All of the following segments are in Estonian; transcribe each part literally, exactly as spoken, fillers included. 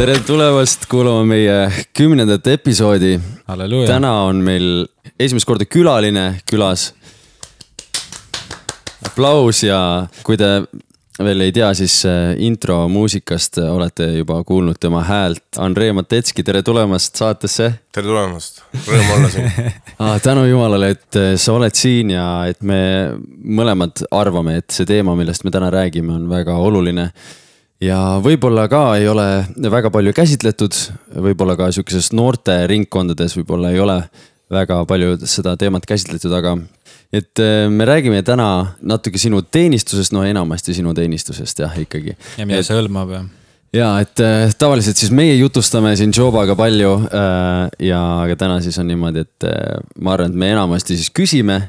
tere tulemast kuulama meie kümnendat episoodi. Halleluja. Täna on meil esimest korda külaline külas. Aplaus ja kui te veel ei tea, siis intro muusikast olete juba kuulnud tema häält. Andrei Matetski, tere tulemast saatesse. Tere tulemast, rõõm olla siin. ah, tänu Jumalale, et sa oled siin ja et me mõlemad arvame, et see teema, millest me täna räägime, on väga oluline. Ja võib-olla ka ei ole väga palju käsitletud, võib-olla ka sellises noorte ringkondades võib-olla ei ole väga palju seda teemat käsitletud, aga et me räägime täna natuke sinu teenistusest, no enamasti sinu teenistusest jah ikkagi. Ja mida see hõlmab ja? Ja, et tavaliselt siis meie jutustame siin Jobaga palju ja aga täna siis on niimoodi, et ma arvan, et me enamasti siis küsime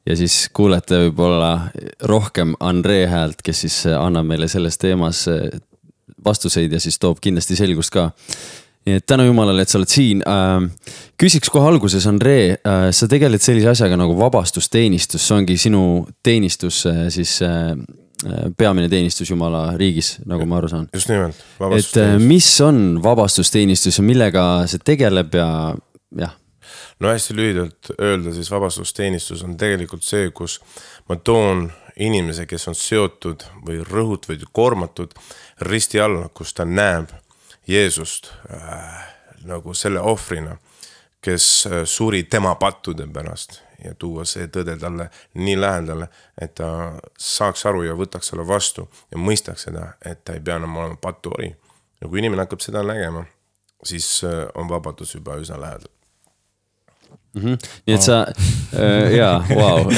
ja siis kuulete võib-olla rohkem Andrei häält, kes siis annab meile selles teemas vastuseid ja siis toob kindlasti selgust ka. Nii et tänu Jumalale, et sa oled siin. Küsiks kohe alguses, Andrei, sa tegeled sellise asjaga nagu vabastusteenistus. See ongi sinu teenistus, siis peamine teenistus Jumala riigis, nagu ma aru saan. Just nimelt, vabastusteenistus. Et mis on vabastusteenistus ja millega see tegeleb ja jah? No hästi lühidalt öelda, siis vabastusteenistus on tegelikult see, kus ma toon inimese, kes on seotud või rõhut või koormatud risti alla, kus ta näeb Jeesust äh, nagu selle ohvrina, kes suri tema pattude pärast ja tuua see tõde talle nii lähedale, et ta saaks aru ja võtaks selle vastu ja mõistaks seda, et ta ei pea enam olema pattuori. Ja kui inimene hakkab seda nägema, siis on vabadus juba üsna lähedal. Mm-hmm. Nii et sa äh, jaa, wow.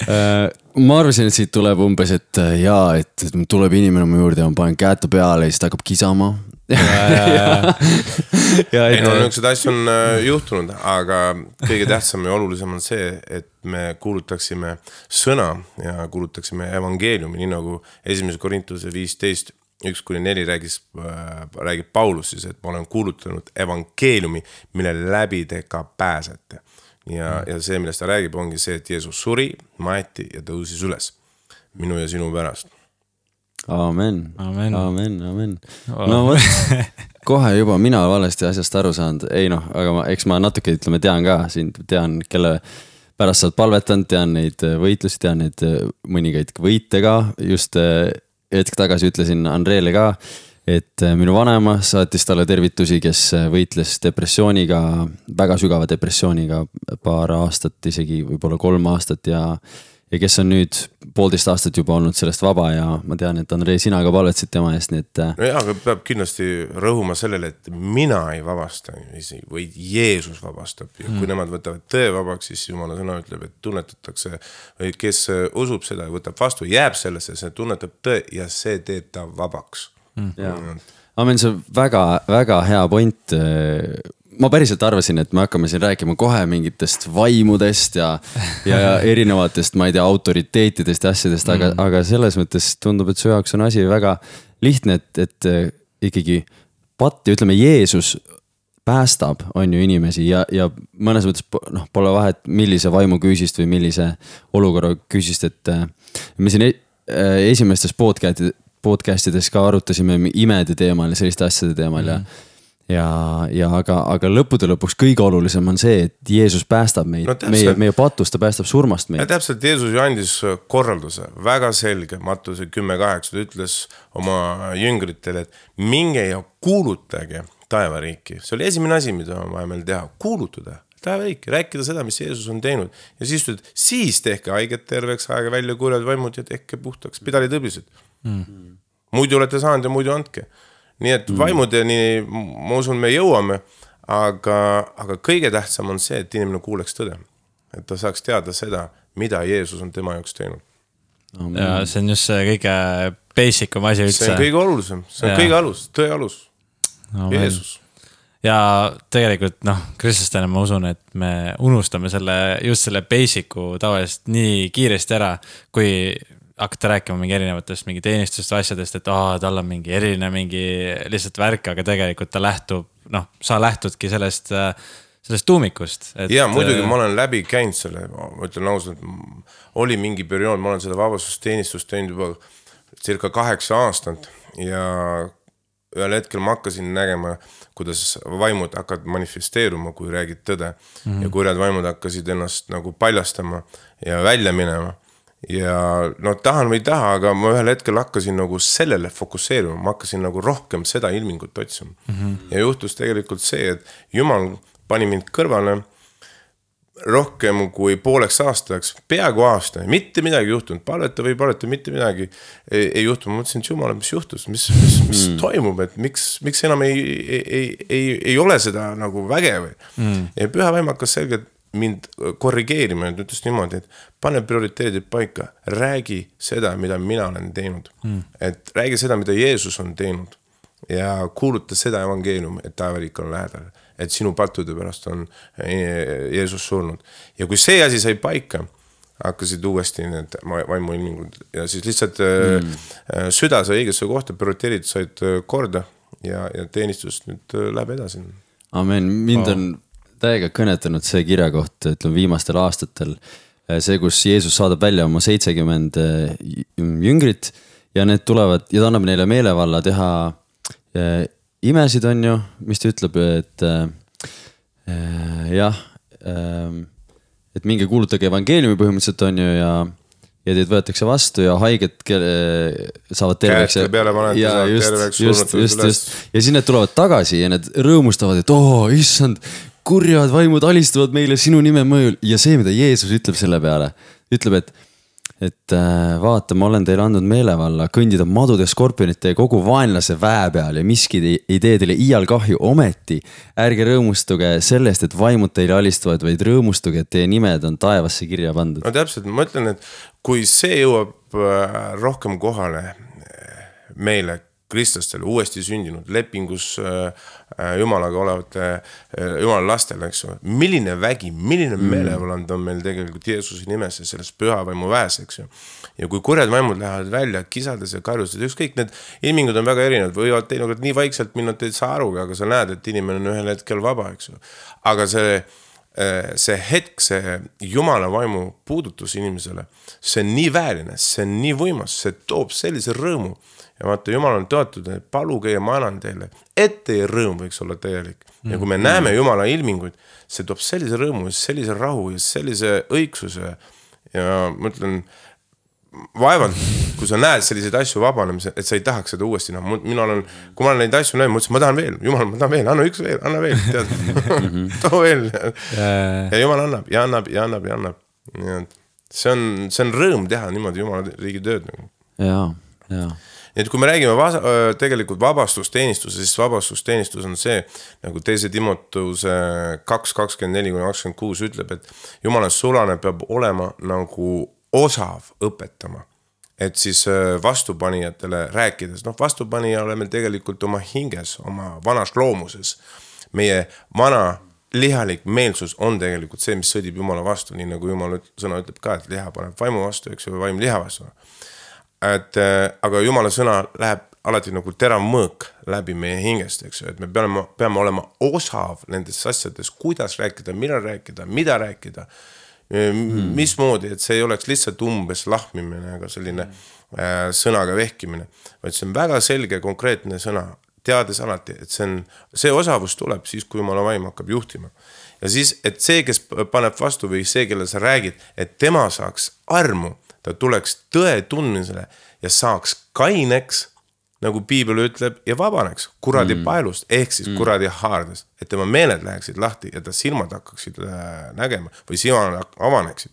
äh, ma arvasin, et siit tuleb umbes, et jaa, et tuleb inimene mu juurde ja ma panen käete peale ja siis ta hakkab kisama ja, ja, ja. ja, ei, no niisugused asjad on juhtunud, aga kõige tähtsam ja olulisem on see, et me kuulutaksime sõna ja kuulutaksime evangeeliumi, nii nagu esimese Korintuse viisteist üks kuni neli räägis, räägib Paulus siis, et ma olen kuulutanud evangeeliumi, mille läbi te ka pääsete. Ja, ja see, millest ta räägib, ongi see, et Jeesus suri, maeti ja tõusis üles minu ja sinu pärast. Amen, amen, amen, amen. No võt, kohe juba mina valesti asjast aru saanud. Ei noh, aga ma, eks ma natuke ütleme, tean ka siin, tean, kelle pärast sa oled palvetanud, tean neid võitlusi, tean neid mõningaid võite ka, just hetk tagasi ütlesin Andreele ka, et minu vanema saatis talle tervitusi, kes võitles depressiooniga, väga sügava depressiooniga paar aastat, isegi võib-olla kolm aastat ja, ja kes on nüüd poolteist aastat juba olnud sellest vaba ja ma tean, et Andrei, sina ka palvetsid tema eest, nii et... No jah, aga peab kindlasti rõhuma sellele, et mina ei vabasta, või Jeesus vabastab ja kui mm. nemad võtavad tõe vabaks, siis Jumala sõna ütleb, et tunnetatakse, või kes usub seda ja võtab vastu, jääb sellesse, see tunnetab tõe ja see teeb ta vabaks. Mm. Ja. Amen, see on väga, väga hea point. Ma päriselt arvasin, et me hakkame siin rääkima kohe mingitest vaimudest ja, ja erinevatest, ma ei tea, autoriteetidest ja asjadest, aga, mm. aga selles mõttes tundub, et su jaoks on asi väga lihtne, et, et ikkagi patti, ütleme, Jeesus päästab, on ju inimesi ja, ja mõnes mõttes noh, pole vahet, millise vaimu küüsist või millise olukorra küüsist, et me siin esimestes podcastides ka arutasime imede teemal ja selliste asjade teemal mm. ja Ja, ja aga, aga lõppude lõpuks kõige olulisem on see, et Jeesus päästab meid, no, meie, meie patust, ta päästab surmast meid. Ja täpselt Jeesus ju andis korralduse, väga selge, Mattuse kümme kaheksa, ta ütles oma jüngritele, et minge ja kuulutage taevariiki. See oli esimene asi, mida on vaja meil teha, kuulutada taevariiki, rääkida seda, mis Jeesus on teinud. Ja siis ütled, siis tehke haiget terveks, aega välja kuuled vaimud ja tehke puhtaks, pidali tõblised. Mm. Muidu olete saanud ja muidu andke. Nii et vaimudeni, ma usun, me jõuame, aga, aga kõige tähtsam on see, et inimene kuuleks tõde. Et ta saaks teada seda, mida Jeesus on tema jaoks teinud. Ja see on just see kõige basicum asi üldse. See on kõige olulisem, see on ja. kõige alus, tõe alus. No, Jeesus. Ja tegelikult, noh, kristlastena ma usun, et me unustame selle, just selle basicu tavaliselt nii kiiresti ära, kui hakata rääkima mingi erinevatest mingi teenistust asjadest, et aa, tal on mingi eriline mingi lihtsalt värk, aga tegelikult ta lähtub, noh, sa lähtudki sellest, sellest tuumikust. Et, ja muidugi ma olen läbi käinud selle, ma ütlen ausalt, oli mingi periood, ma olen seda vabastusteenistust teinud juba circa kaheksa aastat ja ühel hetkel ma hakkasin nägema, kuidas vaimud hakkavad manifesteeruma, kui räägid tõde. Mm-hmm. Ja kui need vaimud hakkasid ennast nagu paljastama ja välja minema. Ja no tahan või ei taha, aga ma ühel hetkel hakkasin nagu sellele fokusseerima. Ma hakkasin nagu rohkem seda ilmingut otsima. Mm-hmm. Ja juhtus tegelikult see, et Jumal pani mind kõrvale rohkem kui pooleks aastaks, peaaegu aasta, mitte midagi juhtunud, paleta või paleta, mitte midagi ei, ei juhtunud. Ma mõtlesin, et Jumal, mis juhtus, mis, mis, mis mm. toimub, et miks, miks enam ei, ei, ei, ei ole seda nagu väge või. Mm. Ja püha vaim hakkas selgelt mind korrigeerima, et ütles niimoodi, et pane prioriteedid paika, räägi seda, mida mina olen teinud. Mm. Et räägi seda, mida Jeesus on teinud ja kuuluta seda evangeelium, et taevariik on lähedal. Et sinu pattude pärast on Jeesus surnud. Ja kui see asi sai paika, hakkasid uuesti need vaimuilmingud ja siis lihtsalt mm. süda sai õigesse kohta, prioriteedid said korda ja, ja teenistus nüüd läheb edasi. Amen, mind on täiega kõnetanud see kirja koht, ütleme viimastel aastatel, see, kus Jeesus saadab välja oma seitsekümmend jüngrit ja need tulevad ja ta annab neile meelevalla teha imesid on ju, mis ta ütleb, et äh, jah, äh, et minge kuulutage evangeeliumi põhimõtteliselt on ju ja, ja teid võetakse vastu ja haiged kelle, saavad terveks. Käeste peale panete, saavad just, terveks. Just, just, just. Ja siis need tulevad tagasi ja need rõõmustavad, et oo, oh, issand, kurjad vaimud alistuvad meile sinu nime mõjul. Ja see, mida Jeesus ütleb selle peale, ütleb, et et vaata, ma olen teile andnud meelevalla kõndida madude skorpionite ja kogu vaenlase väe peal ja miski ei tee teile iial kahju ometi. Ärge rõõmustuge sellest, et vaimud teile alistuvad, vaid rõõmustuge, et teie nimed on taevasse kirja pandud. No täpselt, ma ütlen, et kui see jõuab rohkem kohale meile, kristlastele, uuesti sündinud, lepingus Jumalaga olevate Jumala lastele, eks ju. Milline vägi, milline mm. meelevaland on meil tegelikult Jeesuse nimes ja sellest püha vaimu väes, eks ju. Ja kui kurjad vaimud lähevad välja, kisades ja karjused, ükskõik need ilmingud on väga erinevad, võivad teinekord nii vaikselt minna, et ei saa aru, aga sa näed, et inimene on ühel hetkel vaba, eks ju. Aga see, see hetk, see Jumala vaimu puudutus inimesele, see on nii vääline, see on nii võimas, see toob sellise rõõmu. Ja vaata, Jumal on tõotud, et paluge ja ma annan teile, et teie rõõm võiks olla täielik. Ja kui me mm. näeme Jumala ilminguid, see toob sellise rõõmu, sellise rahu ja sellise õigsuse. Ja ma ütlen, vaevalt, kui sa näed selliseid asju vabanemise, et sa ei tahaks seda uuesti. No, mina olen, kui ma olen neid asju näinud, ma ütlesin, ma tahan veel, Jumal, ma tahan veel, anna üks veel, anna veel, tead, too veel. Ja Jumal annab ja annab ja annab ja annab. Ja see on, see on rõõm teha niimoodi Jumala riigi tööd. Jaa, jaa. Et kui me räägime vasa, tegelikult vabastusteenistuse, siis vabastusteenistus on see, nagu teise Timotuse kaks kakskümmend neli kuni kakskümmend kuus ütleb, et Jumala sulane peab olema nagu osav õpetama. Et siis vastupanijatele rääkides, noh vastupanija oleme tegelikult oma hinges, oma vanas loomuses. Meie vana lihalik meelsus on tegelikult see, mis sõdib Jumala vastu, nii nagu Jumal sõna ütleb ka, et liha paneb vaimu vastu, eks ju, vaim liha vastu. Et, aga Jumala sõna läheb alati nagu terav mõõk läbi meie hingest, eks ju, et me peame, peame olema osav nendes asjades, kuidas rääkida, millal rääkida, mida rääkida, mm. mismoodi, et see ei oleks lihtsalt umbes lahmimine, aga selline äh, sõnaga vehkimine, vaid see on väga selge, konkreetne sõna, teades alati, et see, on, see osavus tuleb siis, kui Jumala vaim hakkab juhtima. Ja siis, et see, kes paneb vastu või see, kelle sa räägid, et tema saaks armu, ta tuleks tõe tundmisele ja saaks kaineks, nagu Piibel ütleb, ja vabaneks kuradi mm. paelust, ehk siis mm. kuradi haardest, et tema meeled läheksid lahti ja ta silmad hakkaksid nägema või silmad avaneksid,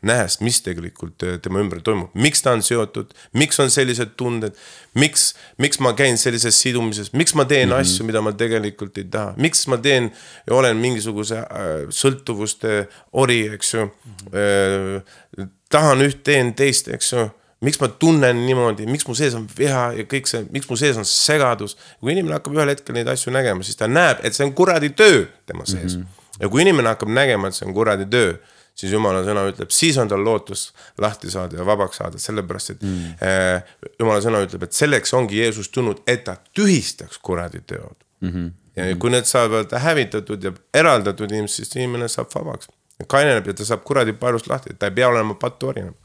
nähes, mis tegelikult tema ümber toimub. Miks ta on seotud, miks on sellised tunded, miks, miks ma käin sellises sidumises, miks ma teen mm-hmm. asju, mida ma tegelikult ei taha, miks ma teen ja olen mingisuguse äh, sõltuvuste ori, eks ju, äh, tahan üht teen teist, eks ju, miks ma tunnen niimoodi, miks mu sees on viha ja kõik see, miks mu sees on segadus. Kui inimene hakkab ühel hetkel neid asju nägema, siis ta näeb, et see on kuradi töö tema sees. Mm-hmm. Ja kui inimene hakkab nägema, et see on kuradi töö, siis Jumala sõna ütleb, siis on tal lootus lahti saada ja vabaks saada, sellepärast, et mm. äh, Jumala sõna ütleb, et selleks ongi Jeesus tulnud, et ta tühistaks kuradi teod. Mm-hmm. Ja kui need saavad hävitatud ja eraldatud inimesed, siis inimene saab vabaks. Kaineneb ja ta saab kuradi paelust lahti, ta ei pea olema pattu orina.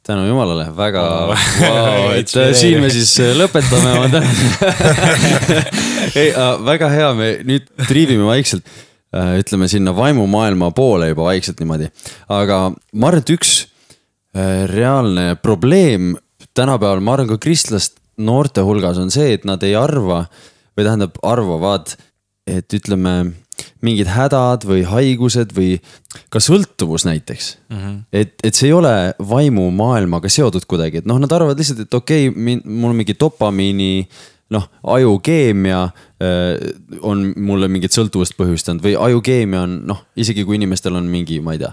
tänu jumalale, väga wow, wow, et siin me siis lõpetame ma ei, väga hea, me nüüd triivime vaikselt, ütleme sinna vaimumaailma poole juba vaikselt niimoodi, aga ma arvan, et üks reaalne probleem tänapäeval, ma arvan ka kristlast noorte hulgas on see, et nad ei arva või tähendab arvavad, et ütleme mingid hädad või haigused või ka sõltuvus näiteks. Mm-hmm. Et, et see ei ole vaimu maailmaga seotud kuidagi, et noh, nad arvavad lihtsalt, et okei, okay, mul on mingi dopamiini, noh, ajukeemia on mulle mingit sõltuvust põhjustanud või ajukeemia on, noh, isegi kui inimestel on mingi, ma ei tea,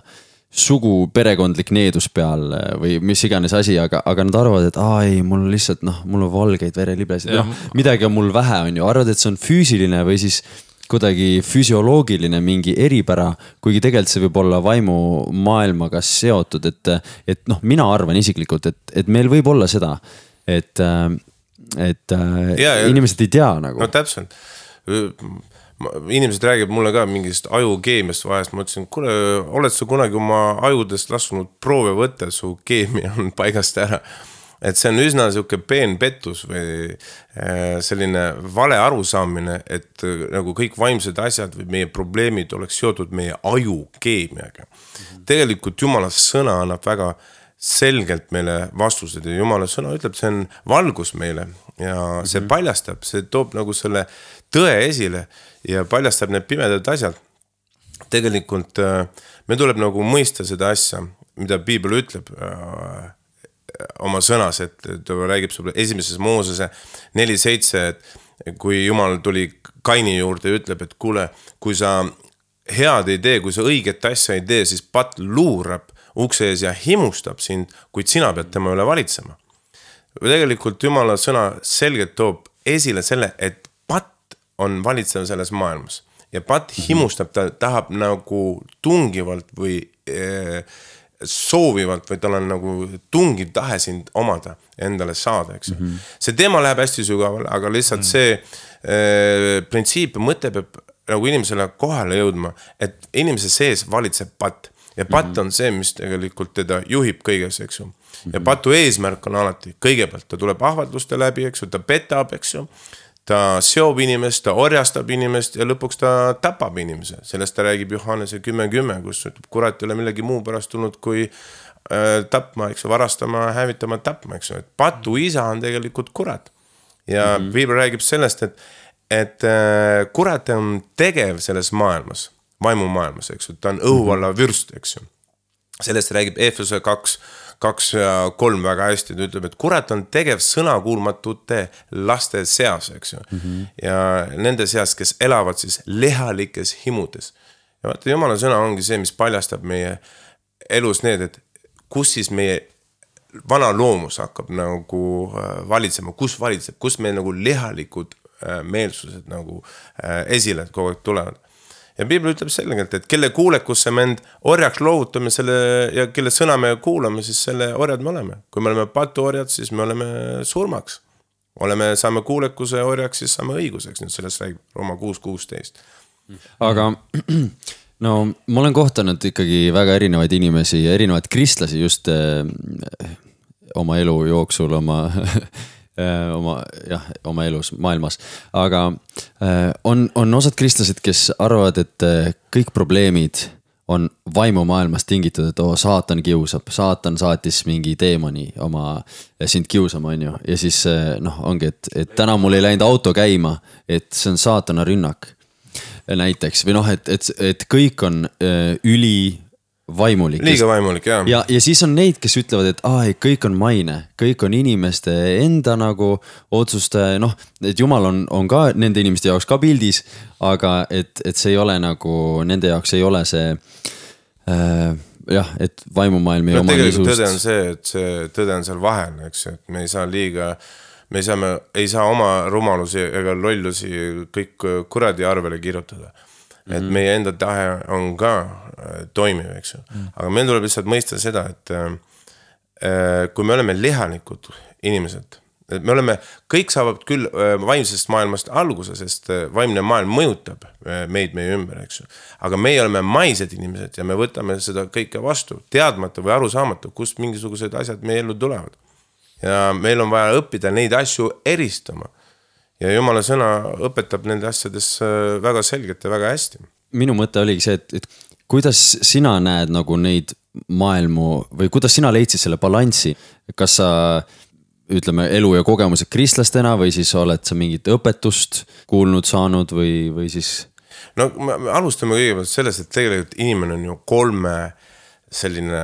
sugu perekondlik needus peal või mis iganes asi, aga, aga nad arvavad, et aa ei, mul lihtsalt, noh, mul on valgeid vereliblesid, noh, midagi on mul vähe, on ju, arvad, et see on füüsiline või siis kuidagi füsioloogiline mingi eripära, kuigi tegelikult see võib olla vaimu maailmaga seotud, et, et noh, mina arvan isiklikult, et, et meil võib olla seda, et, et ja, ja, inimesed ei tea nagu. No täpselt. Inimesed räägib mulle ka mingist ajukeemiast vahest, ma ütlesin, kuule, oled sa kunagi oma ajudest laskunud proove võtta, su keemia on paigast ära. Et see on üsna siuke peen pettus või selline vale arusaamine, et nagu kõik vaimsed asjad või meie probleemid oleks seotud meie ajukeemiaga. Mm-hmm. Tegelikult Jumala sõna annab väga selgelt meile vastused ja Jumala sõna ütleb, see on valgus meile ja see mm-hmm. paljastab, see toob nagu selle tõe esile ja paljastab need pimedad asjad. Tegelikult me tuleb nagu mõista seda asja, mida Piibel ütleb oma sõnas, et ta räägib sulle esimeses Moosese neli seitse, et kui Jumal tuli Kaini juurde ja ütleb, et kuule, kui sa head ei tee, kui sa õiget asja ei tee, siis patt luurab ukse ees ja himustab sind, kuid sina pead tema üle valitsema. Tegelikult Jumala sõna selgelt toob esile selle, et patt on valitsev selles maailmas ja patt himustab, ta tahab nagu tungivalt või eh, soovivalt või tal on nagu tungiv tahe sind omada endale saada, eks. Mm-hmm. See teema läheb hästi sügavale, aga lihtsalt mm-hmm. see äh, printsiip mõte peab nagu inimesele kohale jõudma, et inimese sees valitseb patt ja patt mm-hmm. on see, mis tegelikult teda juhib kõiges, eks ju. Ja patu eesmärk on alati, kõigepealt ta tuleb ahvatluste läbi, eks ju, ta petab, eks ju. Ta seob inimest, ta orjastab inimest ja lõpuks ta tapab inimese. Sellest ta räägib Johannese kümme kümme, kus kurat ei ole millegi muu pärast tulnud kui äh, tapma, eks ju, varastama, hävitama, tapma, eks ju. Et patu isa on tegelikult kurat. Ja mm-hmm. Piibel räägib sellest, et, et äh, kurat on tegev selles maailmas, vaimu maailmas, eks ju. Ta on õhuvalla vürst, eks ju. Sellest räägib Efese kaks, kaks ja kolm väga hästi, ta ütleb, et kurat on tegev sõnakuulmatute laste seas, eks ju. Mm-hmm. Ja nende seas, kes elavad siis lehalikes himudes. Ja vaata, Jumala sõna ongi see, mis paljastab meie elus need, et kus siis meie vana loomus hakkab nagu valitsema, kus valitseb, kus meil nagu lehalikud meelsused nagu esile kogu aeg tulevad. Ja Piibel ütleb selgelt, et kelle kuulekusse me end orjaks loovutame selle, ja kelle sõna me kuulame, siis selle orjad me oleme. Kui me oleme patu orjad, siis me oleme surmaks. Oleme, saame kuulekuse orjaks, siis saame õiguseks. Nüüd sellest räägib Rooma kuus kuusteist. Aga no ma olen kohtanud ikkagi väga erinevaid inimesi ja erinevaid kristlasi just eh, oma elu jooksul, oma... oma, jah, oma elus, maailmas. Aga on, on osad kristlased, kes arvavad, et kõik probleemid on vaimu maailmas tingitud, et oo, saatan kiusab, saatan saatis mingi teemani oma sind kiusama, on ju. Ja siis noh, ongi, et, et täna mul ei läinud auto käima, et see on saatana rünnak näiteks. Või noh, et, et, et kõik on üli vaimulik. Liiga vaimulik, jah. Ja, ja siis on neid, kes ütlevad, et ah, kõik on maine, kõik on inimeste enda nagu otsustaja, noh, et Jumal on, on ka nende inimeste jaoks ka pildis, aga et, et see ei ole nagu, nende jaoks ei ole see äh, jah, et vaimumaailm ei no, oma tegelikult tõde on see, et see tõde on seal vahel, eks, et me ei saa liiga, me ei saa, me ei saa oma rumalusi ega lollusi kõik kuradi arvele kirjutada. Et mm-hmm. meie enda tahe on ka äh, toimiv, eks ju. Mm. Aga meil tuleb lihtsalt mõista seda, et äh, kui me oleme lihalikud inimesed, me oleme, kõik saavad küll vaimsest maailmast alguse, sest vaimne maailm mõjutab meid meie ümber, eks ju. Aga meie oleme maised inimesed ja me võtame seda kõike vastu, teadmata või aru saamata, kust mingisugused asjad meie ellu tulevad. Ja meil on vaja õppida neid asju eristama. Ja Jumala sõna õpetab nende asjades väga selgelt ja väga hästi. Minu mõte oligi see, et, et kuidas sina näed nagu neid maailmu või kuidas sina leidsid selle balanssi? Kas sa, ütleme, elu ja kogemused kristlastena või siis oled sa mingit õpetust kuulnud saanud või, või siis? No me alustame kõigepealt sellest, et tegelikult inimene on ju kolme selline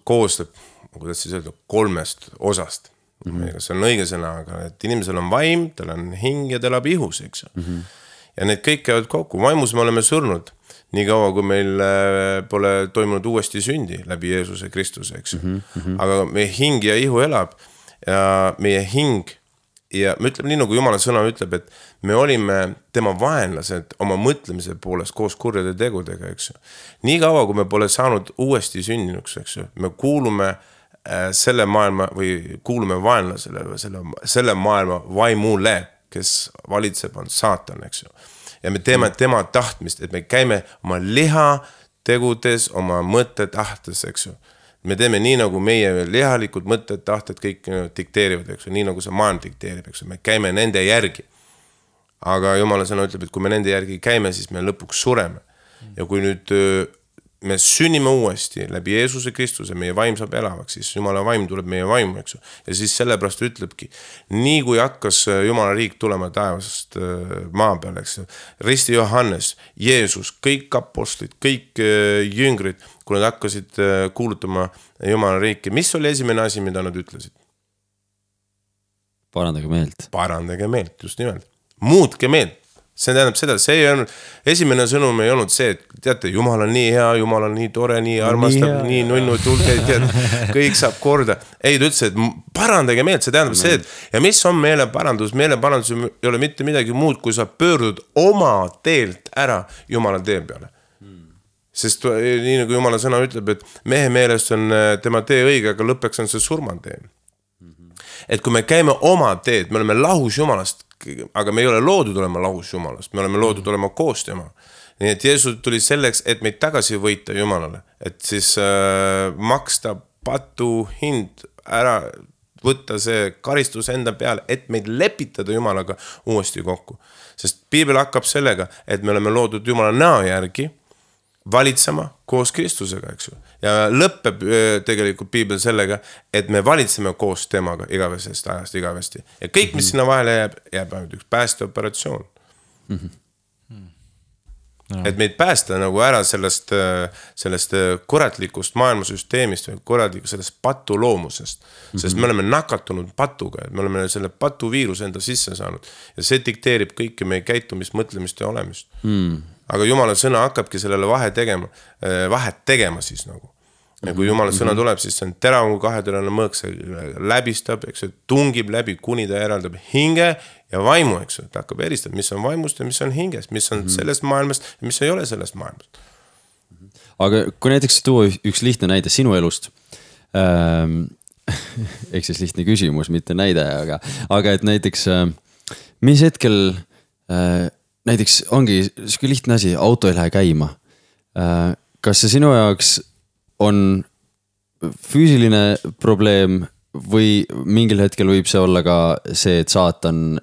koostab, kuidas siis öelda, kolmest osast. Mm-hmm. See on õige sõna, aga et inimesel on vaim, tal on hing ja tal on ihus, eks ju. Mm-hmm. Ja need kõik käivad kokku. Vaimus me oleme surnud nii kaua, kui meil pole toimunud uuesti sündi läbi Jeesuse Kristuse, eks ju. Mm-hmm. Aga meie hing ja ihu elab ja meie hing ja me ütleme nii, nagu Jumala sõna ütleb, et me olime tema vaenlased oma mõtlemise poolest koos kurjade tegudega, eks ju. Nii kaua, kui me pole saanud uuesti sündinuks, eks ju, me kuulume selle maailma või kuulume vaenlasele või selle, selle maailma vaimule, kes valitseb on saatan, eks ju. Ja me teeme tema tahtmist, et me käime oma liha tegudes, oma mõtte tahtes, eks ju. Me teeme nii, nagu meie lihalikud mõtted, tahted kõik dikteerivad, eks ju. Nii, nagu see maailm dikteerib, eks ju. Me käime nende järgi. Aga Jumala sõna ütleb, et kui me nende järgi käime, siis me lõpuks sureme. Ja kui nüüd me sünnime uuesti läbi Jeesuse Kristuse, meie vaim saab elavaks, siis Jumala vaim tuleb meie vaimu, eks ju. Ja siis sellepärast ütlebki, nii kui hakkas Jumala riik tulema taevast maa peal, eks ju. Risti Johannes, Jeesus, kõik apostlid, kõik jüngrid, kui nad hakkasid kuulutama Jumala riiki, mis oli esimene asi, mida nad ütlesid? Parandage meelt. Parandage meelt, just nimelt. Muutke meelt. See tähendab seda, see ei olnud, esimene sõnum ei olnud see, et teate, Jumal on nii hea, Jumal on nii tore, nii armastab, nii, nii nunnu, tulge, tead, kõik saab korda. Ei, ta ütles, et parandage meelt, see tähendab see, et ja mis on meeleparandus? Meeleparandus ei ole mitte midagi muud, kui sa pöördud oma teelt ära Jumala tee peale. Sest nii nagu Jumala sõna ütleb, et mehe meelest on tema tee õige, aga lõppeks on see surmantee. Et kui me käime oma teed, me oleme lahus Jumalast, aga me ei ole loodud olema lahus Jumalast, me oleme loodud olema koos tema. Nii et Jeesus tuli selleks, et meid tagasi võita Jumalale, et siis äh, maksta patu hind ära, võtta see karistus enda peale, et meid lepitada Jumalaga uuesti kokku. Sest Piibel hakkab sellega, et me oleme loodud Jumala näo järgi valitsema koos Kristusega, eks ju. Ja lõppeb tegelikult Piibel sellega, et me valitseme koos temaga igavesest ajast igavesti. Ja kõik, mis sinna vahele jääb, jääb ainult üks päästeoperatsioon. Mm-hmm. No. Et meid päästa nagu ära sellest, sellest kuratlikust maailmasüsteemist või kuratlikust sellest patu loomusest. Mm-hmm. Sest me oleme nakatunud patuga, et me oleme selle patu viiruse enda sisse saanud. Ja see dikteerib kõike meie käitumist, mõtlemist ja olemist. Mm. Aga Jumala sõna hakkabki sellele vahe tegema, vahet tegema siis nagu. Ja kui Jumala sõna tuleb, siis see on terav kui kaheterane mõõk, see läbistab, eks, tungib läbi, kuni ta eraldab hinge ja vaimu, eks, ta hakkab eristama, mis on vaimust ja mis on hingest, mis on sellest maailmast ja mis ei ole sellest maailmast. Aga kui näiteks tuua üks lihtne näide sinu elust, ähm, eks siis lihtne küsimus, mitte näide, aga, aga et näiteks, äh, mis hetkel äh, näiteks ongi selline lihtne asi, auto ei lähe käima. Kas see sinu jaoks on füüsiline probleem või mingil hetkel võib see olla ka see, et saatan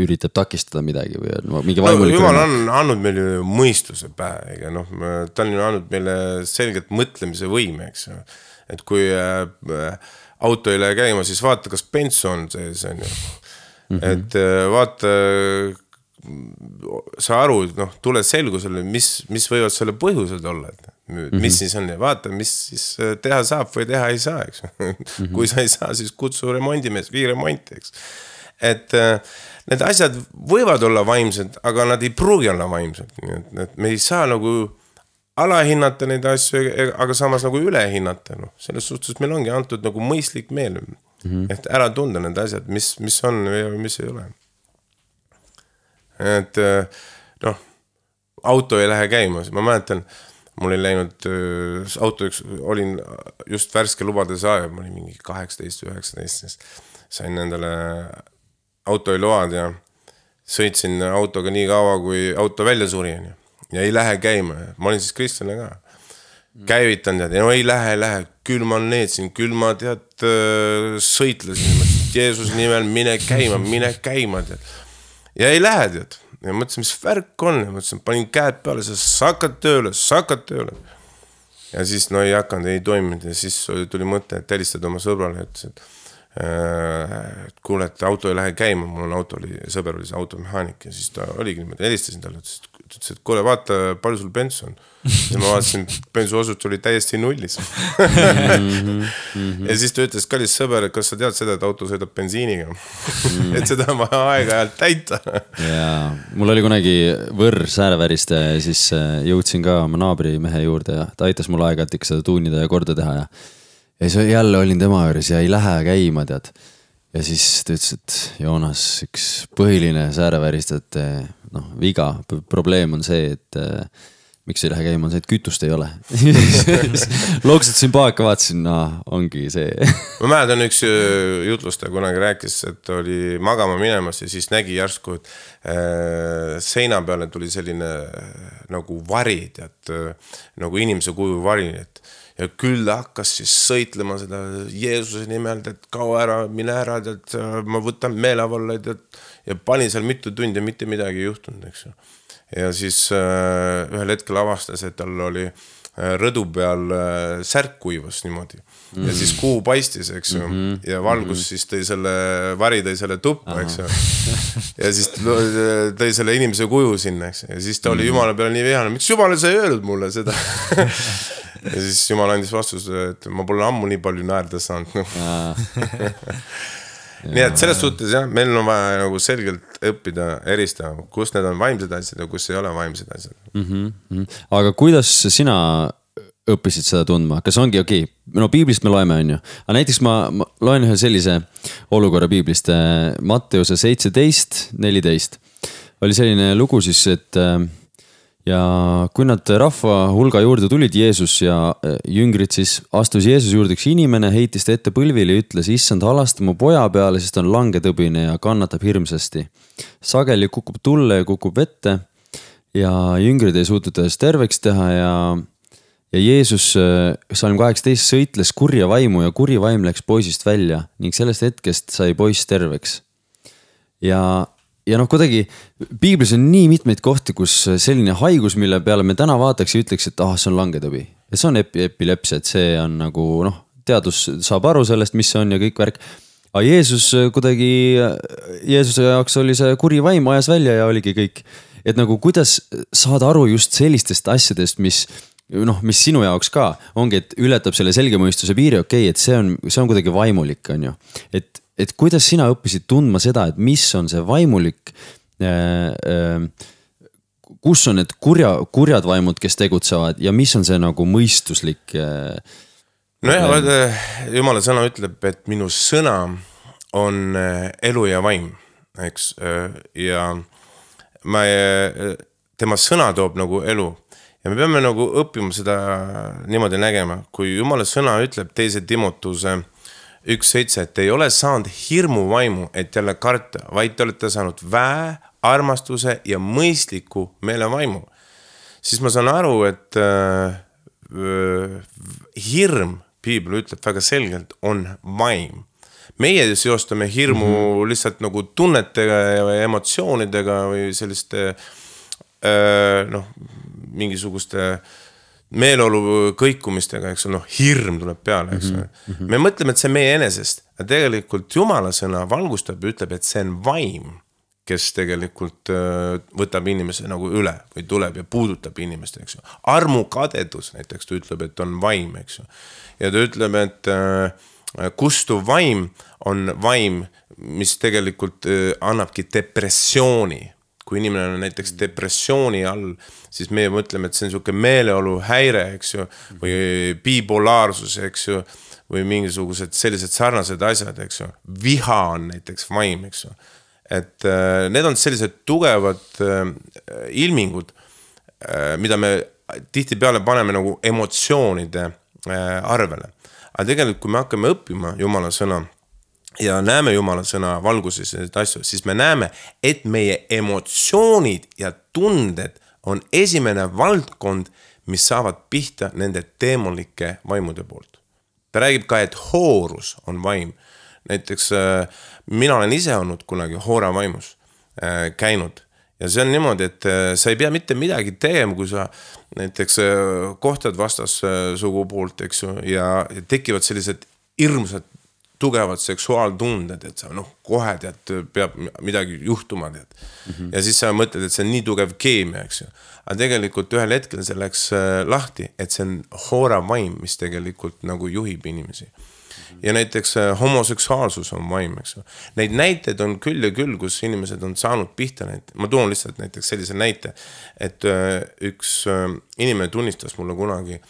üritab takistada midagi või on mingi vaimulik? No, Jumal on andnud meile mõistuse pähe, ega noh, ta on andnud meile selgelt mõtlemise võime, eks ju. Et kui auto ei lähe käima, siis vaata, kas bensu on see, see on ju. Mm-hmm. Et vaata, sa aru, noh, tule selgusele, mis, mis võivad selle põhjused olla, et mis mm-hmm. siis on ja vaata, mis siis teha saab või teha ei saa, eks. Mm-hmm. Kui sa ei saa, siis kutsu remondimees, vii remonti, eks. Et need asjad võivad olla vaimsed, aga nad ei pruugi olla vaimsed. Et me ei saa nagu alahinnata neid asju, aga samas nagu ülehinnata. No. Selles suhtes meil ongi antud nagu mõistlik meel, mm-hmm. et ära tunda need asjad, mis, mis on või mis ei ole. Et noh, auto ei lähe käima, ma mäletan, mul ei läinud äh, auto, üks, olin just värske lubade saaja, ma olin mingi kaheksateist või üheksateist, sain endale autoiload ja sõitsin autoga nii kaua, kui auto välja suri ja ei lähe käima. Ma olin siis Kristjane ka. Käivitan tead, ja no ei lähe, ei lähe, küll ma neetsin, küll ma tead sõitlesin, Jeesus nimel mine käima, mine käima tead. Ja ei lähe tead. Ja mõtlesin, mis värk on, ja mõtlesin, panin käed peale, sa hakkad tööle, sa hakkad tööle. Ja siis no ei hakanud, ei toiminud ja siis tuli mõte, et helistada oma sõbrale, ütles, et et kuule, et auto ei lähe käima, mul on auto oli, sõber oli see automehaanik ja siis ta oligi niimoodi, helistasin talle, ütles, et kuule, vaata, palju sul bensu on. Ja ma vaatasin, bensu osut oli täiesti nullis. Ja siis ta ütles, kallis sõber, kas sa tead seda, et auto sõidab bensiiniga? Et seda on vaja aeg-ajalt täita. Ja mul oli kunagi võrr sääreväriste ja siis jõudsin ka oma naabri mehe juurde ja ta aitas mul aeg-ajalt ikka seda tuunida ja korda teha ja ja siis jälle olin tema juures ja ei lähe käima, tead. Ja siis ta ütles, et Joonas, üks põhiline säärevääristajate no, viga, probleem on see, et äh, miks ei lähe käima, on see, et kütust ei ole. Loksutasin paaka, vaatasin, no, ongi see. Ma mäletan üks jutlustaja kunagi rääkis, et oli magama minemas ja siis nägi järsku, et äh, seina peale tuli selline äh, nagu vari, tead, äh, nagu inimese kuju vari, et ja küll hakkas siis sõitlema seda Jeesuse nimel, et kao ära, mine ära, et ma võtan meelevalla ja panin seal mitu tundi ja mitte midagi ei juhtunud, eks ju. Ja siis äh, ühel hetkel avastas, et tal oli äh, rõdu peal äh, särk kuivas niimoodi. Mm. Ja siis kuu paistis, eks ju. Mm-hmm. Ja valgus mm-hmm. siis tõi selle, vari tõi selle tuppa, eks ju. Ja siis tõi selle inimese kuju sinna, eks ju. Ja siis ta oli mm-hmm. Jumala peale nii vihane, miks Jumala sa ei öelnud mulle seda? Ja siis Jumal andis vastus, et ma pole ammu nii palju naerda saanud. Nii et selles suhtes, jah, meil on vaja nagu selgelt õppida, eristama, kus need on vaimsed asjad ja kus ei ole vaimsed asjad. Mm-hmm. Aga kuidas sina õppisid seda tundma? Kas ongi okei? Okay? No piiblist me loeme, on ju. Aga näiteks ma, ma loen ühe sellise olukorra piiblist. Matteuse seitseteist neliteist oli selline lugu siis, et ja kui nad rahva hulga juurde tulid, Jeesus ja jüngrid, siis astus Jeesus juurde üks inimene, heitis ta ette põlvile ja ütles, issand, halasta mu poja peale, sest on langetõbine ja kannatab hirmsasti. Sageli kukub tulle ja kukub vette ja jüngrid ei suutnud täis terveks teha ja, ja Jeesus salm kaheksateist sõitles kurja vaimu ja kuri vaim läks poisist välja ning sellest hetkest sai poiss terveks. Ja Ja noh, kuidagi piiblis on nii mitmeid kohti, kus selline haigus, mille peale me täna vaataks ja ütleks, et ah, see on langetõbi. Ja see on epi, epilepsia, et see on nagu, noh, teadus saab aru sellest, mis see on ja kõik värk. Aga Jeesus kuidagi, Jeesuse jaoks oli see kuri vaim ajas välja ja oligi kõik. Et nagu kuidas saada aru just sellistest asjadest, mis, noh, mis sinu jaoks ka ongi, et ületab selle selgemõistuse piiri, okei, et see on, see on kuidagi vaimulik, on ju. Et Et kuidas sina õppisid tundma seda, et mis on see vaimulik, äh, äh, kus on need kurja, kurjad vaimud, kes tegutsevad ja mis on see nagu mõistuslik? Äh, no jah, vaata, Jumala sõna ütleb, et minu sõna on elu ja vaim, eks, ja ma, tema sõna toob nagu elu ja me peame nagu õppima seda niimoodi nägema, kui Jumala sõna ütleb teise Timotuse üks seitse, et ei ole saanud hirmu vaimu, et jälle karta, vaid te olete saanud väe, armastuse ja mõistliku meele vaimu. Siis ma saan aru, et äh, hirm, piibel ütleb väga selgelt, on vaim. Meie seostame hirmu mm-hmm. lihtsalt nagu tunnetega ja emotsioonidega või selliste äh, noh, mingisuguste meeleolu kõikumistega, eks noh, hirm tuleb peale, eks mm-hmm. me mõtleme, et see on meie enesest, aga tegelikult Jumala sõna valgustab ja ütleb, et see on vaim, kes tegelikult võtab inimese nagu üle või tuleb ja puudutab inimest, eks ju. Armukadedus näiteks ta ütleb, et on vaim, eks ju. Ja ta ütleb, et kustuv vaim on vaim, mis tegelikult annabki depressiooni. Kui inimene on näiteks depressiooni all, siis meie mõtleme, et see on selline meeleolu häire, eks ju, või bipolaarsus, eks ju, või mingisugused sellised sarnased asjad, eks ju. Viha on näiteks vaim, eks ju. Et äh, need on sellised tugevad äh, ilmingud, äh, mida me tihti peale paneme nagu emotsioonide arvele. Aga tegelikult, kui me hakkame õppima Jumala sõna ja näeme Jumala sõna valguses asju, siis me näeme, et meie emotsioonid ja tunded on esimene valdkond, mis saavad pihta nende teemolike vaimude poolt. Ta räägib ka, et hoorus on vaim. Näiteks mina olen ise olnud kunagi hoora vaimus käinud. Ja see on niimoodi, et sa ei pea mitte midagi tegema, kui sa näiteks kohtad vastas sugu poolt, eks ju, ja tekivad sellised hirmsad, tugevad seksuaaltunded, et sa noh, kohe tead, peab midagi juhtuma, tead. Mm-hmm. Ja siis sa mõtled, et see on nii tugev keemia, eks ju. Aga tegelikult ühel hetkel see läks lahti, et see on hoora vaim, mis tegelikult nagu juhib inimesi. Ja näiteks homoseksuaalsus on vaim, eks ju. Neid näiteid on küll ja küll, kus inimesed on saanud pihta neid. Ma toon lihtsalt näiteks sellise näite, et üks inimene tunnistas mulle kunagi,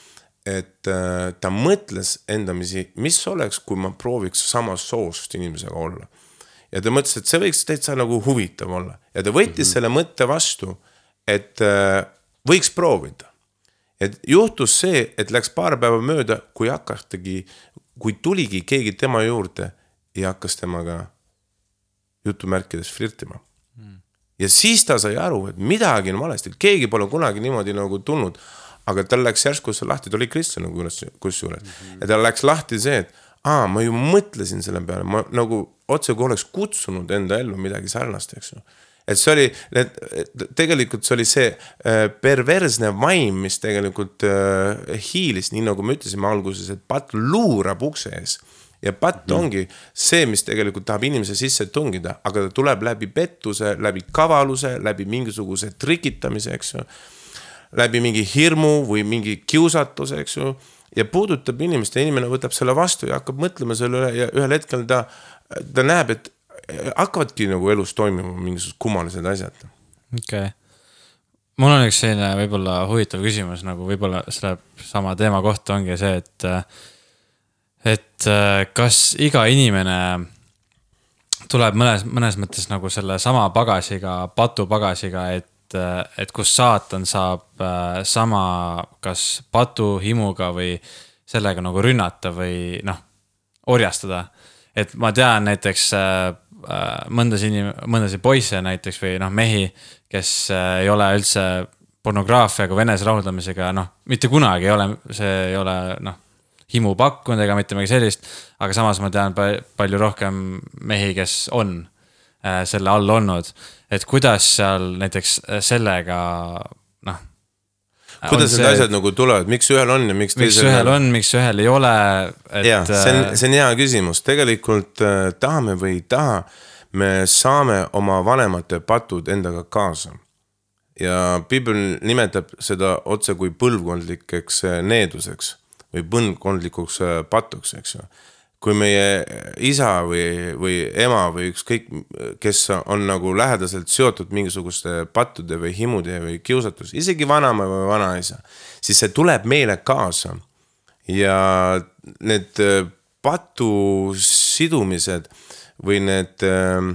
et ta mõtles endamisi, mis oleks, kui ma prooviks samas soost inimesega olla. Ja ta mõtles, et see võiks täitsa nagu huvitav olla. Ja ta võttis mm-hmm. selle mõtte vastu, et võiks proovida. Et juhtus see, et läks paar päeva mööda, kui hakkastagi kui tuligi keegi tema juurde ja hakkas temaga jutumärkides flirtima. Mm. Ja siis ta sai aru, et midagi on valesti. Keegi pole kunagi niimoodi nagu tulnud, aga tal läks järsku see lahti, ta oli kristlane kus juures. Mm-hmm. Ja tal läks lahti see, et aa, ma ju mõtlesin selle peale, ma nagu otse kui oleks kutsunud enda ellu midagi sarnast, eks ju. Et see oli, tegelikult see oli see perversne vaim, mis tegelikult hiilis, nii nagu me ütlesime alguses, et patt luurab ukse ees. Ja patt mm. ongi see, mis tegelikult tahab inimese sisse tungida, aga ta tuleb läbi pettuse, läbi kavaluse, läbi mingisuguse trikitamise, eks ju, läbi mingi hirmu või mingi kiusatuse, eks ju, ja puudutab inimest ja inimene võtab selle vastu ja hakkab mõtlema selle üle ja ühel hetkel ta, ta näeb, et hakkavadki nagu elus toimima mingisugused kummalised asjad. Okay. Mul on üks selline võib-olla huvitav küsimus, nagu võib-olla selle sama teema kohta ongi see, et et kas iga inimene tuleb mõnes, mõnes mõttes nagu selle sama pagasiga, patupagasiga, et, et kus saatan saab sama kas patu himuga või sellega nagu rünnata või noh, orjastada. Et ma tean näiteks mõndas inim-, mõndasi poisse näiteks või noh, mehi, kes ei ole üldse pornograafiaga, venese rahuldamisega, noh, mitte kunagi ei ole, see ei ole noh, himu pakkunud ega mitte midagi sellist, aga samas ma tean palju rohkem mehi, kes on selle all olnud, et kuidas seal näiteks sellega noh, kuidas need asjad nagu tulevad, miks ühel on ja miks teisel miks ühel on, miks ühel ei ole et... ja, see on, see on hea küsimus, tegelikult äh, tahame või ei taha, me saame oma vanemate patud endaga kaasa ja Piibel nimetab seda otse kui põlvkondlikeks needuseks või põlvkondlikuks patuks, eks ju. Kui meie isa või, või ema või ükskõik, kes on nagu lähedaselt seotud mingisuguste pattude või himude või kiusatus, isegi vanama või vanaisa, siis see tuleb meile kaasa ja need patu sidumised või need äh,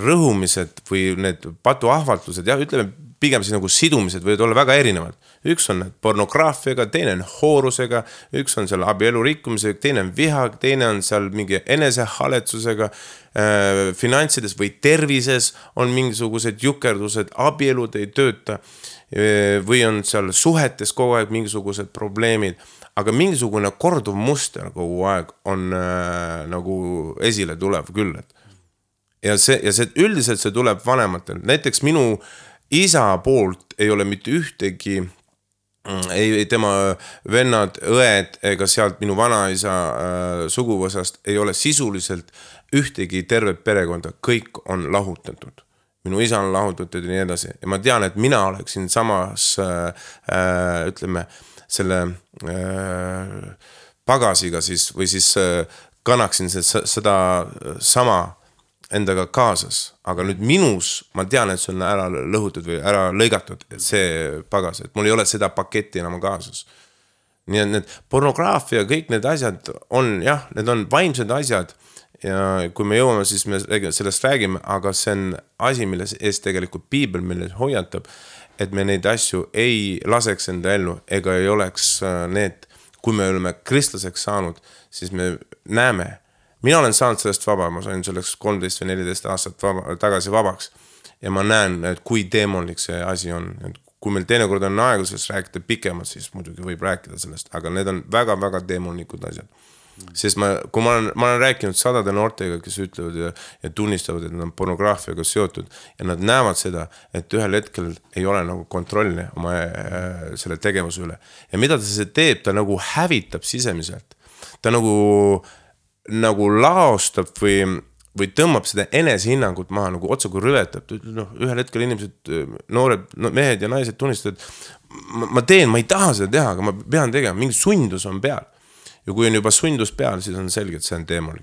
rõhumised või need patu ahvatlused, jah, ütleme pigem siis nagu sidumised võivad olla väga erinevad. Üks on pornograafiaga, teine on hoorusega, üks on seal abielu rikkumisega, teine on viha, teine on seal mingi enesehaletsusega, äh, finantsides või tervises on mingisugused jukerdused, abielud ei tööta äh, või on seal suhetes kogu aeg mingisugused probleemid, aga mingisugune korduv muster kogu aeg on äh, nagu esile tulev küll. Ja, see, ja see, üldiselt see tuleb vanematel. Näiteks minu isa poolt ei ole mitte ühtegi, ei tema vennad, õed ega sealt minu vanaisa äh, suguvõsast ei ole sisuliselt ühtegi tervet perekonda, kõik on lahutatud. Minu isa on lahutatud ja nii edasi. Ja ma tean, et mina oleksin samas, äh, ütleme, selle äh, pagasiga siis, või siis äh, kannaksin seda sama endaga kaasas, aga nüüd minus ma tean, et see on ära lõhutud või ära lõigatud, et see pagas, et mul ei ole seda paketti enam kaasas. Nii et need pornograafia, kõik need asjad on, jah, need on vaimsed asjad ja kui me jõuame, siis me sellest räägime, aga see on asi, milles ees tegelikult piibel, milles hoiatab, et me neid asju ei laseks enda ellu, ega ei oleks need, kui me oleme kristlaseks saanud, siis me näeme, mina olen saanud sellest vaba, ma sain selleks kolmteist või neliteist aastat vaba, tagasi vabaks ja ma näen, et kui demonlik see asi on, et kui meil teinekord on aega sellest rääkida pikemalt, siis muidugi võib rääkida sellest, aga need on väga-väga demonlikud asjad. Sest ma, kui ma olen, ma olen rääkinud sadade noortega, kes ütlevad ja, ja tunnistavad, et nad on pornograafiaga seotud ja nad näevad seda, et ühel hetkel ei ole nagu kontrolli oma äh, selle tegevuse üle. Ja mida ta see teeb, ta nagu hävitab sisemiselt. Ta nagu, nagu laostab või, või tõmbab seda enesehinnangut maha, nagu otsa kui rüvetab. No, ühel hetkel inimesed, noored no, mehed ja naised tunnistavad, ma, ma teen, ma ei taha seda teha, aga ma pean tegema, mingi sundus on peal. Ja kui on juba sundus peal, siis on selge, et see on teemolik.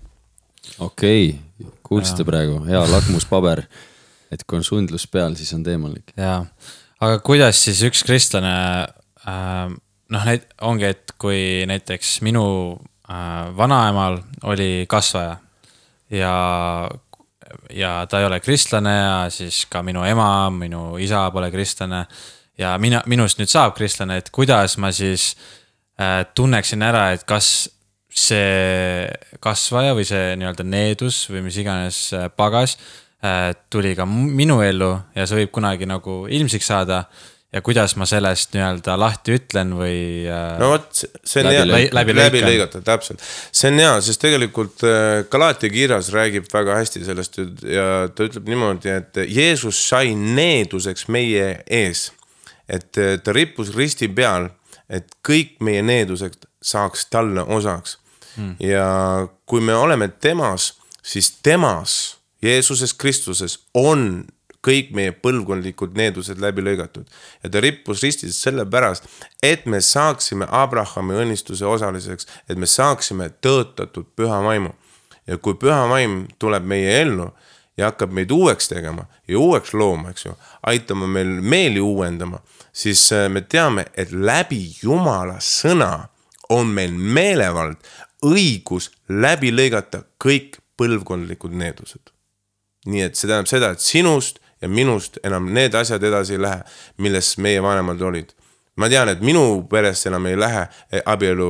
Okei, okay. Kuulsite ja. Praegu, hea lakmuspaber, et kui on sundlus peal, siis on teemolik. Jaa, aga kuidas siis üks kristlane, äh, noh, neid ongi, et kui näiteks minu äh, vanaemal oli kasvaja ja, ja ta ei ole kristlane ja siis ka minu ema, minu isa pole kristlane ja mina, minust nüüd saab kristlane, et kuidas ma siis tunneksin ära, et kas see kasvaja või see nii-öelda needus või mis iganes pagas tuli ka minu ellu ja see võib kunagi nagu ilmsiks saada ja kuidas ma sellest nii-öelda lahti ütlen või no võt, see on hea, läbi, läbi, läbi lõigata, täpselt. See on hea, sest tegelikult Galaatia kirjas räägib väga hästi sellest ja ta ütleb niimoodi, et Jeesus sai needuseks meie ees, et ta rippus risti peal, et kõik meie needused saaks talle osaks. Hmm. Ja kui me oleme temas, siis temas, Jeesuses Kristuses, on kõik meie põlvkondlikud needused läbi lõigatud. Ja ta rippus ristis selle pärast, et me saaksime Abrahami õnnistuse osaliseks, et me saaksime tõotatud püha vaimu. Ja kui püha vaim tuleb meie ellu ja hakkab meid uueks tegema ja uueks looma, eks ju, aitama meil meeli uuendama, siis me teame, et läbi Jumala sõna on meil meelevald õigus läbi lõigata kõik põlvkondlikud needused. Nii et see tähendab seda, et sinust ja minust enam need asjad edasi ei lähe, milles meie vanemad olid. Ma tean, et minu perest enam ei lähe abielu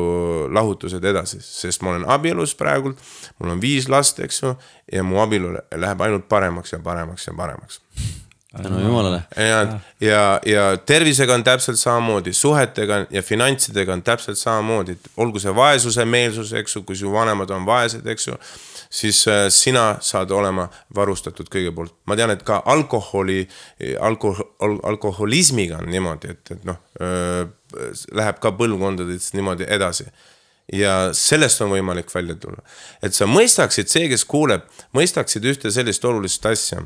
lahutused edasi, sest ma olen abielus praegult, mul on viis last, eks ju, ja mu abielu läheb ainult paremaks ja paremaks ja paremaks. Tänu Jumalale. Ja, ja, ja tervisega on täpselt samamoodi, suhetega ja finantsidega on täpselt samamoodi, olgu see vaesuse meelsus, eks ju, kui su vanemad on vaesed, eks ju, siis sina saad olema varustatud kõige poolt. Ma tean, et ka alkoholi, alkohol, alkoholismiga on niimoodi, et, et noh, läheb ka põlvkondadest niimoodi edasi. Ja sellest on võimalik välja tulla. Et sa mõistaksid, see, kes kuuleb, mõistaksid ühte sellist olulist asja,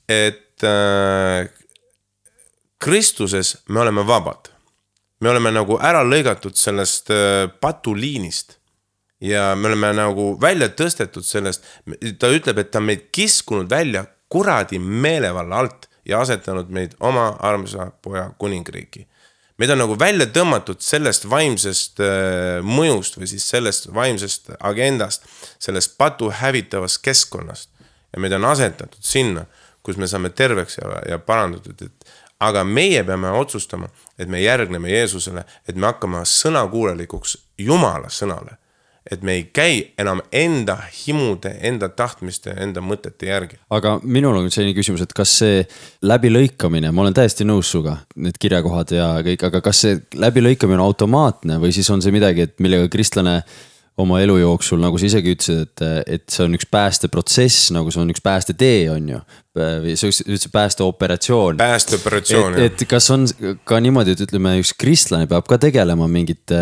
et äh, Kristuses me oleme vabad. Me oleme nagu ära lõigatud sellest äh, patuliinist ja me oleme nagu välja tõstetud sellest. Ta ütleb, et ta meid kiskunud välja kuradi meelevalla alt ja asetanud meid oma armsa poja kuningriiki. Meid on nagu välja tõmmatud sellest vaimsest äh, mõjust või siis sellest vaimsest agendast, sellest patu hävitavast keskkonnast ja meid on asetatud sinna, kus me saame terveks ja, ja parandatud, et aga meie peame otsustama, et me järgneme Jeesusele, et me hakkame sõnakuulelikuks Jumala sõnale, et me ei käi enam enda himude, enda tahtmiste, enda mõtete järgi. Aga minul on selline küsimus, et kas see läbilõikamine, ma olen täiesti nõus suga, need kirjakohad ja kõik, aga kas see läbilõikamine on automaatne või siis on see midagi, et millega kristlane oma elu jooksul, nagu sa isegi ütlesid, et, et see on üks päästeprotsess, nagu see on üks päästetee, on ju. Või see üldse päästeoperatsioon. Päästeoperatsioon, et, et kas on ka niimoodi, et ütleme, üks kristlane peab ka tegelema mingite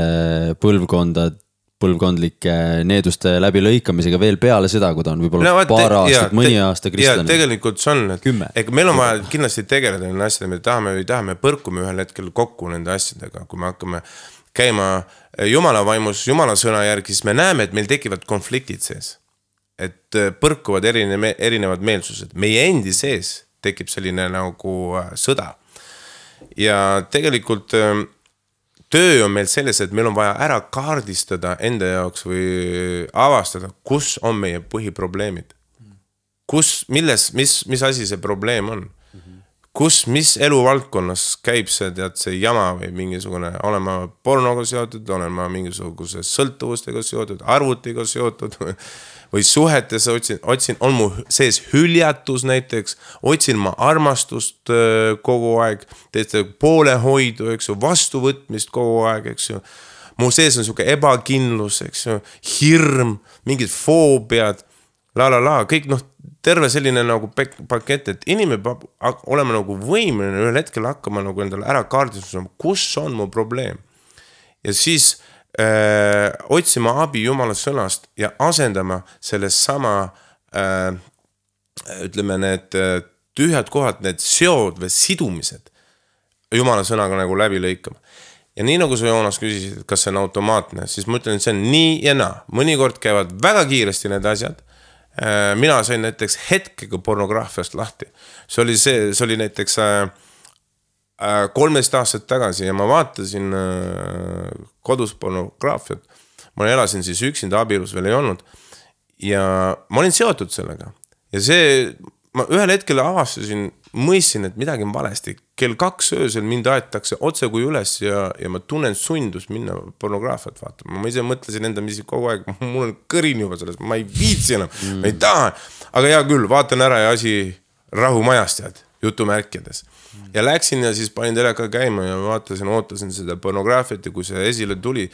põlvkondad, põlvkondlike needuste läbi lõikamisega veel peale seda, kui ta on võib-olla no, paar aastat, mõni aasta kristlane. Ja tegelikult see on, et meil on vaja kindlasti tegeleda nende asjadega, me tahame või tahame põrkume ühel hetkel kokku nende asjadega, kui me hakkame käima Jumala vaimus, Jumala sõna järgi, siis me näeme, et meil tekivad konfliktid sees. Et põrkuvad erine, erinevad meelsused. Meie endi sees tekib selline nagu sõda. Ja tegelikult töö on meil selles, et meil on vaja ära kaardistada enda jaoks või avastada, kus on meie põhiprobleemid. Kus, milles, mis, mis asi see probleem on? Kus, mis eluvaldkonnas käib see, tead, see jama või mingisugune, olen ma pornoga seotud, olen ma mingisuguse sõltuvustega seotud, arvutiga seotud või suhetes otsin, otsin, on mu sees hüljatus näiteks, otsin ma armastust kogu aeg, teiste poolehoidu, eks ju, vastuvõtmist kogu aeg, eks ju. Mu sees on siuke ebakindlus, eks ju, hirm, mingid foobiad, la la la, kõik noh, terve selline nagu pakett, et inimene peab olema nagu võimeline ühel hetkel hakkama nagu endale ära kaardistusama, kus on mu probleem. Ja siis äh, otsima abi Jumala sõnast ja asendama selles sama äh, ütleme need tühjad kohad, need seod või sidumised Jumala sõnaga nagu läbi lõikama. Ja nii nagu sa Joonas küsisid, kas see on automaatne, siis ma ütlen, et see on nii ja naa. Mõnikord käivad väga kiiresti need asjad. Mina sain näiteks hetkega pornograafiast lahti. See oli, see, see oli näiteks kolmteist aastat tagasi ja ma vaatasin kodus pornograafiat. Ma elasin siis üksinda, abielus veel ei olnud ja ma olin seotud sellega. Ja see, ma ühel hetkel avastasin, mõistsin, et midagi on valesti. Kell kaks öösel mind aetakse otse kui üles ja, ja ma tunnen sundust minna pornograafiat vaatama. Ma ise mõtlesin enda misi kogu aeg, mul on kõrin juba sellest, ma ei viitsi enam, mm. ma ei taha. Aga hea küll, vaatan ära ja asi rahumajast jääd, jutumärkides. Mm. Ja läksin ja siis panin teleka käima ja vaatasin, ootasin seda pornograafiat ja kui see esile tuli,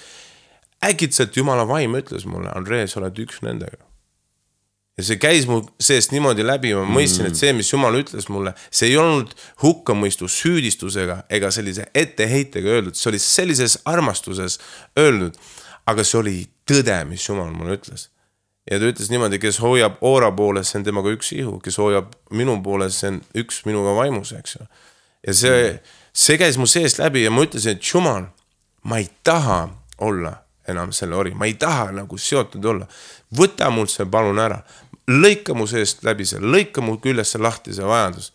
äkitselt Jumala vaim ütles mulle, Andrei, sa oled üks nendega. Ja see käis mu seest niimoodi läbi, ma mõistsin, et see, mis Jumal ütles mulle, see ei olnud hukkamõistu süüdistusega ega sellise etteheitega öeldud, see oli sellises armastuses öeldud, aga see oli tõde, mis Jumal mulle ütles. Ja ta ütles niimoodi, kes hoiab oora poole, see on temaga üks ihu, kes hoiab minu poole, see on üks minuga vaimus, eks ju. Ja see, see käis mu seest läbi ja ma ütlesin, et Jumal, ma ei taha olla enam selle ori, ma ei taha nagu seotud olla. Võta mul see palun ära. Lõika mu seest läbi see, lõika mu küljesse lahti see vajadus.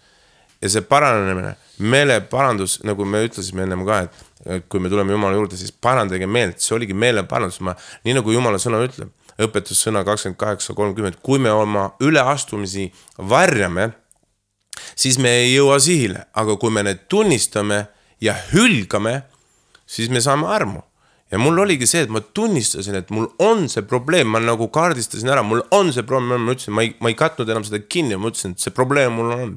Ja see paranemine, meele parandus, nagu me ütlesime ennem ka, et kui me tuleme Jumala juurde, siis parandage meelt, see oligi meele parandus. Ma, nii nagu Jumala sõna ütleb, õpetussõna kakskümmend kaheksa kolmkümmend, kui me oma üleastumisi varjame, siis me ei jõua sihile, aga kui me need tunnistame ja hülgame, siis me saame armu. Ja mul oligi see, et ma tunnistasin, et mul on see probleem, ma nagu kaardistasin ära, mul on see probleem, ma ütlesin, ma ei, ma ei katnud enam seda kinni, ma ütlesin, et see probleem mul on.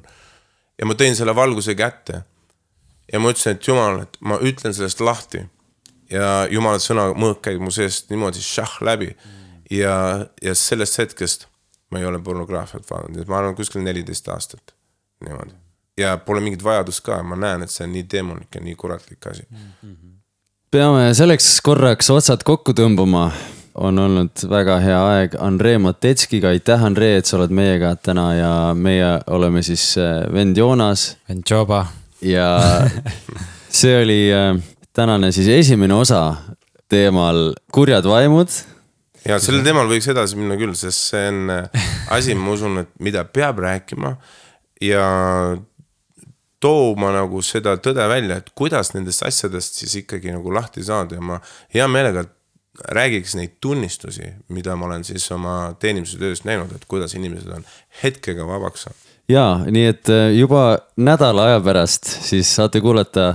Ja ma tõin selle valguse kätte. Ja ma ütlesin, et Jumal, et ma ütlen sellest lahti. Ja Jumala sõna mõõk käib mu seest niimoodi šah läbi. Ja, ja sellest hetkest ma ei ole pornograafiat vaadanud. Ma arvan kuskil neliteist aastat. Niimoodi. Ja pole mingit vajadus ka, ma näen, et see on nii demonik ja nii kuratlik asi. Mm-hmm. Peame selleks korraks otsad kokku tõmbama. On olnud väga hea aeg Andrei Matetskiga. Aitäh, Andrei, et sa oled meiega täna ja meie oleme siis vend Joonas. Vend Joba. Ja see oli tänane siis esimene osa teemal kurjad vaimud. Ja sellel teemal võiks edasi minna küll, sest see on asi, ma usun, et mida peab rääkima ja tooma nagu seda tõde välja, et kuidas nendest asjadest siis ikkagi nagu lahti saada ja ma hea meelega räägiks neid tunnistusi, mida ma olen siis oma teenimise tööst näinud, et kuidas inimesed on hetkega vabaks saanud. Jaa, nii et juba nädala aja pärast siis saate kuulata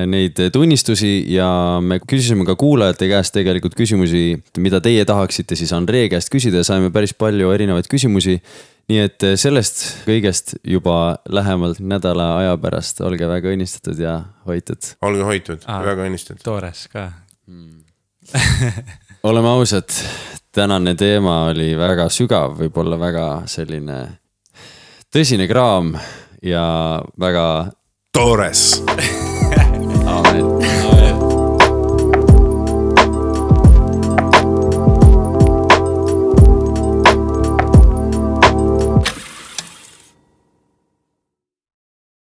neid tunnistusi ja me küsisime ka kuulajate käest tegelikult küsimusi, mida teie tahaksite siis Andrei käest küsida ja saime päris palju erinevaid küsimusi. Nii et sellest kõigest juba lähemalt nädala aja pärast olge väga õnnistatud ja hoitud. Olge hoitud, Aa, väga õnnistatud. Toores ka. Hmm. Oleme ausad, tänane teema oli väga sügav, võib-olla väga selline tõsine kraam ja väga toores. Amen.